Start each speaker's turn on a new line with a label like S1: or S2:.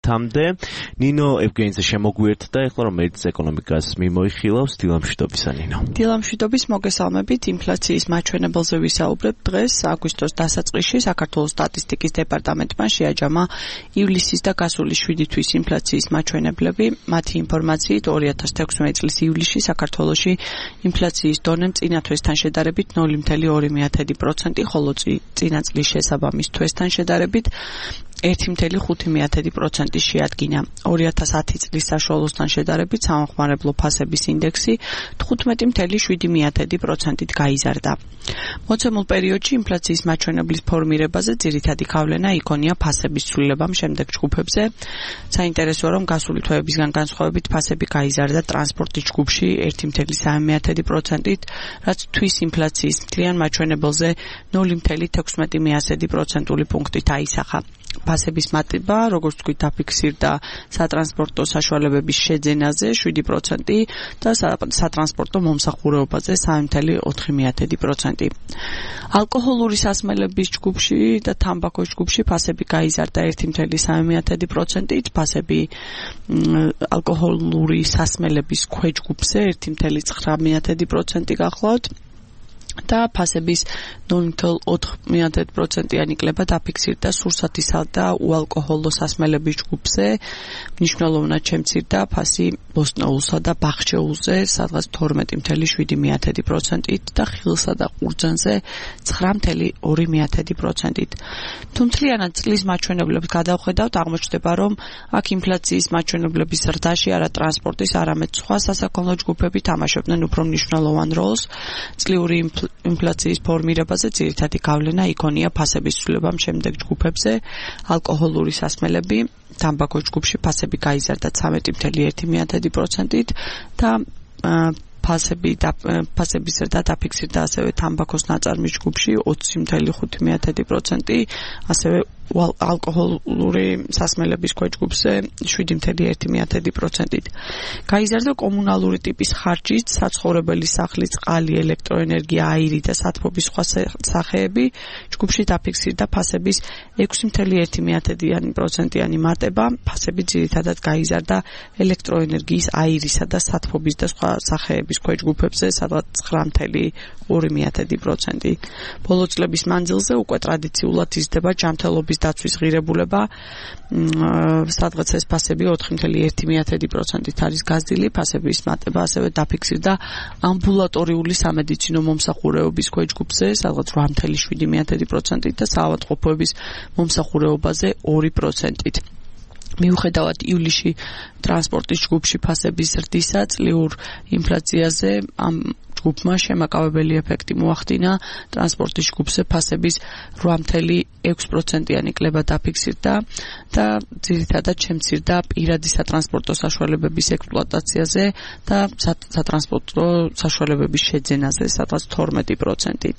S1: 10-მდე. ნინო ევგენიძე შემოგვიერთდა ეხლა რომელიც ეკონომიკას მიმოიხილავს დილამშვიდობისა ნინო.
S2: დილამშვიდობის მოგესალმებით ინფლაციის მაჩვენებელზე ვისაუბრებ დღეს აგვისტოს დასაწყისში საქართველოს სტატისტიკის დეპარტამენტმა შეაჯამა ივლისის და გასული 7 თვის ინფლაციის მაჩვენებლები. მათი ინფორმაციით 2016 წლის ივლისში საქართველოში ინფლაციის დონე წინა თვესთან შედარებით 0.2%, ხოლო წინა წლის შესაბამის თვესთან შედარებით 1.5% შეადგინა. 2010 წლის საშუალოსთან შედარებით სამხმარებლო ფასების ინდექსი 15.7%-ით გაიზარდა. მოცემულ პერიოდში ინფლაციის მაჩვენებლის ფორმირებაზე ძირითადი გავლენა იქონია ფასების ცვლილებამ შემდეგ ჯგუფებზე. საინტერესოა, რომ გასული თვეებისგან განსხვავებით ფასები გაიზარდა ტრანსპორტის ჯგუფში 1.3%-ით, რაც თვის ინფლაციის მთლიან მაჩვენებელზე 0.16% პუნქტით აისახა. ფასების მატება, როგორც თქვით, დაფიქსირდა სატრანსპორტო საშუალებების შეძენაზე 7% და სატრანსპორტო მომსახურებაზე 3.4%. ალკოჰოლური სასმელების ჯგუფში და თამბაქოს ჯგუფში ფასები გაიზარდა 1.3%-ით, ფასები ალკოჰოლური სასმელების ქვეჯგუფზე 1.9% გახლავთ. და ფასების 0.4%-იანი კლება დაფიქსირდა სურსათისა და უალკოჰოლო სასმელების ჯგუფზე. მნიშვნელოვნად შემცირდა ფასი ბოსტნეულსა და ბახჩეულზე, სადღაც 12.7%-ით და ხილსა და ყურძანზე 9.2%-ით. თუმთლიანად წლის მაჩვენებლებს გადავხედავთ, აღმოჩნდება, რომ აქ ინფლაციის მაჩვენებლების ზრდაში არა ტრანსპორტის, არამედ სხვა სასაქონლო ჯგუფები თამაშობდნენ უფრო მნიშვნელოვან როლს. წლიური ინფლაციის ფორმირებაზე ძირითადი გავლენა იქონია ფასების ცვლილებამ შემდეგ ჯგუფებზე. ალკოჰოლური სასმელები, თამბაქოს ჯგუფში ფასები გაიზარდა 13.1%-ით და ფასების ზრდა დაფიქსირდა ასევე თამბაქოს ნაწარმის ჯგუფში 20.5%, ასევე ალკოჰოლური სასმელების ქვეჯგუფზე 7.1%-ით. გაიზარდა კომუნალური ტიპის ხარჯის, საცხოვრებელი სახლის წყალი, ელექტროენერგია, აირი და სათბობის სხვა სახეები. ჯგუფში დაფიქსირდა ფასების 6.1%-იანი მატება. ფასები ძირითადად გაიზარდა ელექტროენერგიის, აირისა და სათბობის და სხვა სახეების ქვეჯგუფებზე, სადღაც 9.2%. ბოლო წლების მანძილზე უკვე ტრადიციულად იზრდება ჯანმრთელობის დაცვის ღირებულება, სადღაც ეს ფასები 4.1%-ით არის გაზრდილი. ფასების მატება ასევე დაფიქსირდა ამბულატორიული სამედიცინო მომსახურებების ქვეჯგუფზე, სადღაც 8.7%-ით და საავადმყოფოების მომსახურებაზე 2%-ით. მიუხედავად ივლისში ტრანსპორტის ჯგუფში ფასების ზრდისა, წლიურ ინფლაციაზე ამ ჯგუფმა შემაკავებელი ეფექტი მოახდინა. ტრანსპორტის ჯგუფზე ფასების 8.6%-იანი კლება დაფიქსირდა და ძირითადად შემცირდა პირადი სატრანსპორტო საშუალებების ექსპლუატაციაზე და სატრანსპორტო საშუალებების შეძენაზე, სადღაც 12%-ით.